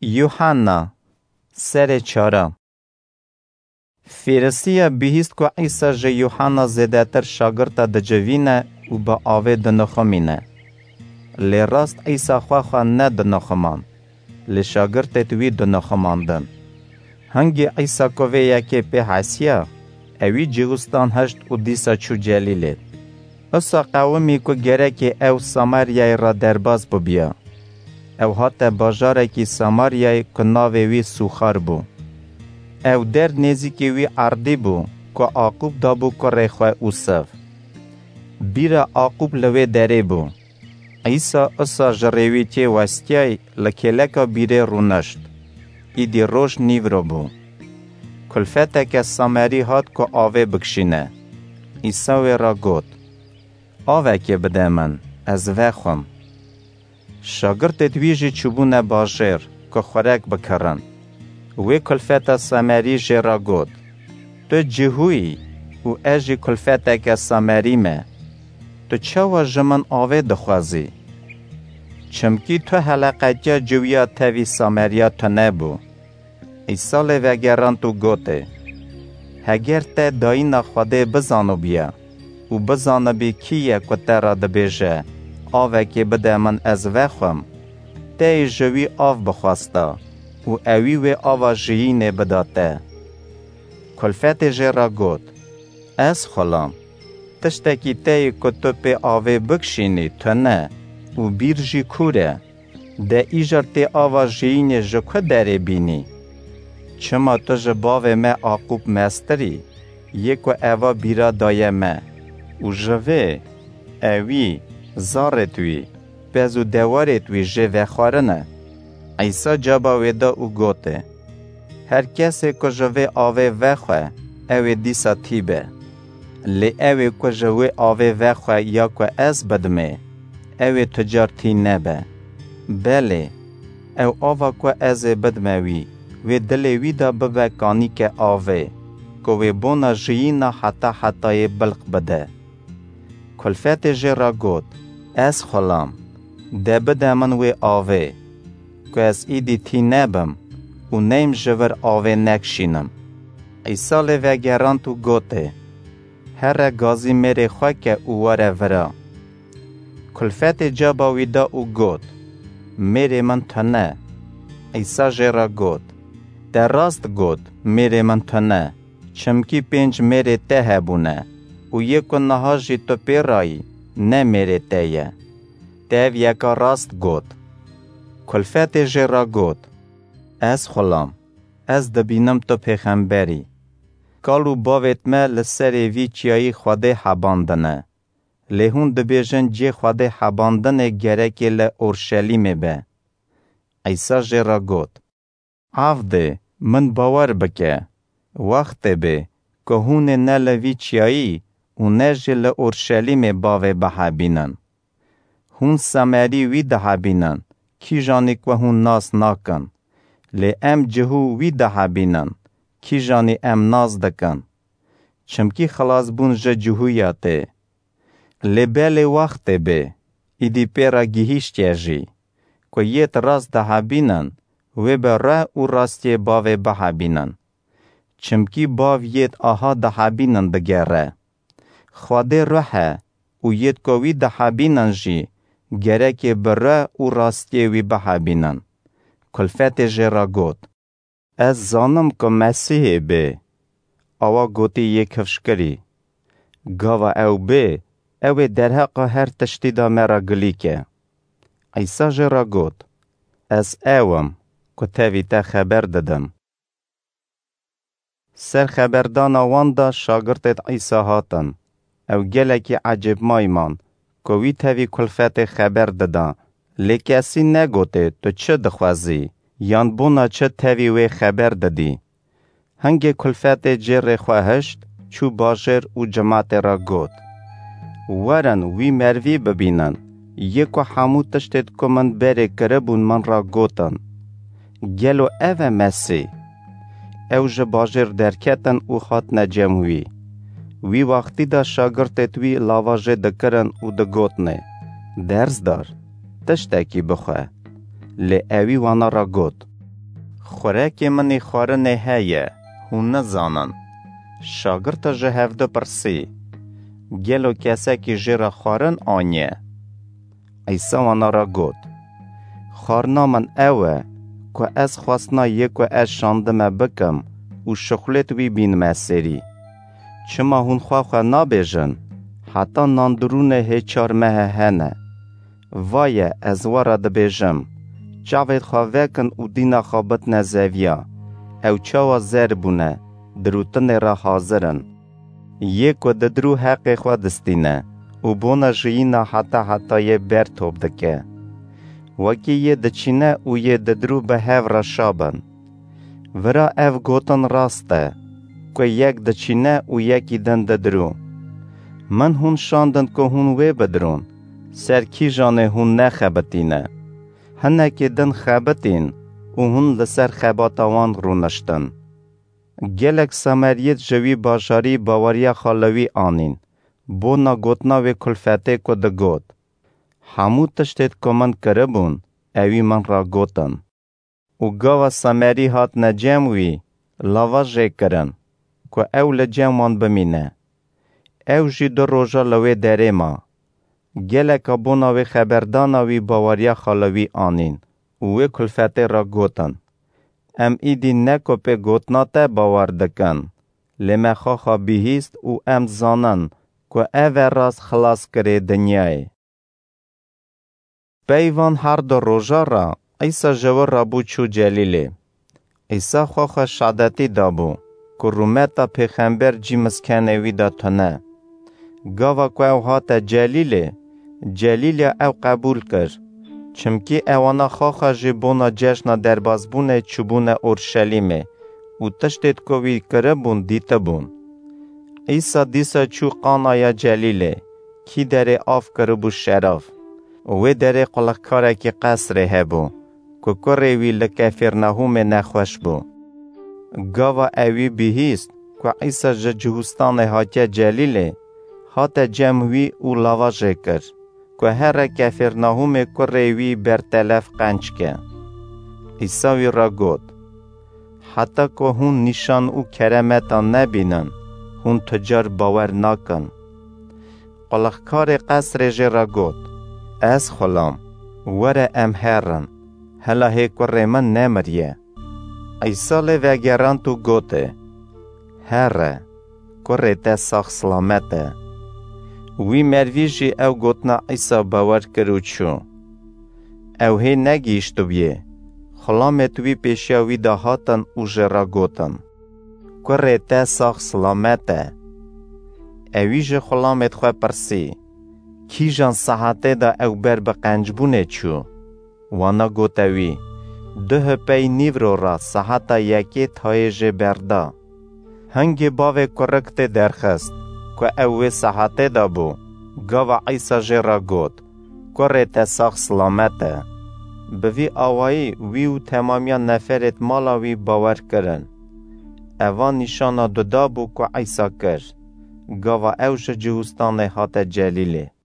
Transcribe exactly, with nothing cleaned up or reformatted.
Yuhanna, serê çara. Fêrisiya bihîst ku Îsa ji Yuhanna zêdetir şagirta dicivîne û bi avê dinixumîne. Lê rast Îsa xwe xwe nedinixumand, lê şagirtêd wî dinixumandin. Hingî Îsa ku vê yekê pê hesiya, ewî cihûstan hişt û dîsa çû Celîlê. Usa qewimî ku gerekê ew Samaryayê re derbas bibiya. Ew hate bajarekî Samaryayê ku navê wî Sûxar bû. Ew der nêzîkê wî erdî bû ku Aqûb dabû kurê xwe Ûsev. Bîra Aqûb li wê derê bû. Îsa usa ji rêwîtiyê westiyay li kêleka bîrê rûnişt. Îdî roj nîvro bû. Kulfeteke Samerî hat ku avê bikişîne. Îsa wê re got, "Avekê bide min, ez vexwim." Şagirtêd wî jî çûbûne bajêr ku xurek bikirin. Wê kulfeta Samerî jê re got, "Tu cihû yî û ez jî kulfeteke Samerî me. Tu çawa ji min avê dixwazî? Çimkî tu heleqetiya ciwiya tevî Sameriya tune bû." Îsa lê vegerand û gotê, "Heger te dayîna Xwedê bizanibûya û bizanibî kî ye ku te re dibêje, 'Avekê bide min ez vexwim,' teyê ji wî av bixwesta û ewî wê ava jiyînê bida te." Kulfetê jê re got, "Ez xulam, tiştekî teyê ku tu pê avê bikişînî tune û bîr jî kûr e. De îcar tê ava jiyînê ji ku derê bînî? Çima tu ji bavê me Aqûb mestir î, yê ku eva bîra daye me? Û ji vê, ewî, zarêd wî, pez û dewarêd wî jê vexwarine." Îsa caba wê da û gotê, "Her kesê ku ji vê avê vexwe, ew ê dîsa tî be. Lê ew ê ku ji wê avê vexwe ya ku ez bidimê, ew ê tu car tî nebe. Belê, ew ava ku ez ê bidime wî, wê dilê wî de bibe kanîke avê, ku wê bona jiyîna heta hetayê bilq bide." Kulfetê jê re got, "Ez xulam, de bide min wê avê, ku ez îdî tî nebim û neyim ji vir avê nekişînim." Îsa lê vegerand û gotê, "Here gazî mêrê xwe ke û were vira." Kulfetê caba wî da û got, "Mêrê min tune." Îsa jê re got, "Te rast got, mêrê min tune, çimkî pênc mêrê te hebûne û yê ku niha jî tu pê rayî, ne mêrê te ye. Te ev yeka rast got." Kulfetê jê re got, "Ez xulam, ez dibînim tu pêxember î. Kal û bavêd me li serê vî çiyayî Xwedê hebandine. Lê hûn dibêjin cê Xwedê hebandinê gerekê li Orşelîmê be." Îsa jê re got, "Avdê, min bawer bike, wextê bê ku hûn ê ne li vî çiyayî û ne jî li Orşelîmê bavê bihebînin. Hûn Samerî wî dihebînin, kîjanî ku hûn nas nakin. Lê em cihû wî dihebînin, kîjanî em nas dikin. Çimkî xilasbûn ji cihûya tê. Lê belê wextê bê, îdî pê re gihîştiye jî, ku yêd rast dihebînin, wê bi reh û rastiyê bavê bihebînin. Çimkî bav yêd aha dihebînin digere. Xwedê ruh e û yêd ku wî dihebînin jî gerekê bi ruh û rastiyê wî bihebînin." Kulfetê jê re got, "Ez zanim ku Mesîhê bê." Awa gotî yê kifşkirî, "Gava ew bê, ew ê derheqa her tiştî de me re gilî ke." Îsa jê re got, "Ez ew im, ku tevî te xeber didim." Ser xeberdana wan de şagirtêd Îsa hatin. Ew gelekî ecêbmayî man, ku wî tevî kulfetê xeber dida. Lê kesî negotê, "Tu çi dixwezî?" yan "Bona çi tevî wê xeber didî?" Hingê kulfetê cêrê xwe hişt, çû bajêr û cimatê re got, "Werin, wî merivî bibînin. Yê ku hemû tiştêd ku min berê kiribûn min re gotin. Gelo ev e Mesîh?" Ew ji bajêr derketin û hatine cem wî. Wî wextî de şagirtêd wî lava jê dikirin û digotinê, "Dersdar, tiştekî bixwe." Lê ewî wana re got, Xurekê min ê xwarinê heye, hûn nizanin. Şagirta ji hevdu pirsî, Gelo kesekî jê re xwarin aniye? Îsa wana re got, Xwarina min ew e, ku ez xwestina yê ku ez şandime bikim û şixulêt wî bînime serî. Çima hûn xwe xwe nabêjin, heta nandirûnê hê çar mehe hene? Vaye, ez we re dibêjim, çavêt xwe vekin û dîna xwe bitine zeviya. Ew çawa zer bûne, dirûtinê re hazir in. Yê ku didirû heqê xwe distîne û bona jiyîna heta hetayê ber top dike. Wekî yê diçîne û yê didirû bi hev re şa bin. Vira ev gotin rast e, ku yek diçîne û yekî din didirû. Min hûn şandin ku hûn wê bidirûn, ser kîjanê hûn nexebitîne. Hinekê din xebitîn û hûn li ser xebata wan rûniştin. Gelek Sameriyêt ji wî bajarî baweriya xwe li wî anîn, bona gotina wê kulfetê ku digot. Hemû tiştêt ku min kiribûn, ewî min re gotin. Û gava Samerî hatine cem wî, lava jê kirin, ku ew li cem wan bimîne. Ew jî du roja li wê derê ma. Geleka bona wê xeberdana wî baweriya xwe li wî anîn û wê kulfetê re gotin, Em îdî ne ku pê gotina te bawer dikin, lê me xwexa bihîst û em zanin ku ev e rast xilaskirê dinyayê. Pey van her du roja re Îsa ji wir re bû çû Celîlê. Îsa xwexa şadetî dabû ku rûmeta pêxember cî miskenê wî de tune. Gava ku ew hate Celîlê, Celîlya ew qebûl kir, çimkî ewana xwexa jî bona cejna derbazbûnê çûbûne Orşelîmê û tiştêt ku wî kiribûn dîtibûn. Îsa dîsa çû Qanaya Celîlê, kî derê av kiribû şerav. Wê derê qulixkarekî qesrê hebû, ku kurê wî li Kefîrnahûmê nexweş bû. Gava ewî bihîst ku Îsa ji Cihûstanê hatiye Celîlê, hate cem wî û lava jê kir, ku here Kefîrnahûmê kurê wî bertelef qenc ke. Îsa wî re got, Heta ku hûn nîşan û keremeta nebînin, hûn tu car bawer nakin. Qulixkarê qesrê jê re got, Ez xulam, were em herin, hela hê kurê min nemiriye. Îsa lê vegerand û gotê, Here, kurê te sax silamet e. Wî mervî jî ew gotina Îsa bawer kir û çû. Ew hê negihîştibûyê, xulamêt wî pêşiya wî de hatin û jê re gotin, Kurê te sax silamet e. Ewî ji xulamêt xwe pirsî, Kîjan saetê de ew ber bi qencbûnê çû? Wana gote wî, Duhê pey nîvro re saeta yekê tayê jê berda. Hingê bavê kurik tê derxist, ku ew wê saetê de bû, gava Îsa jê re got, Kurê te sax silamet e. Bi vî awayî wî û temamiya neferêt mala wî bawer kirin. Eva nîşana duda bû ku Îsa kir, gava ew ji Cihûstanê hate Celîlê.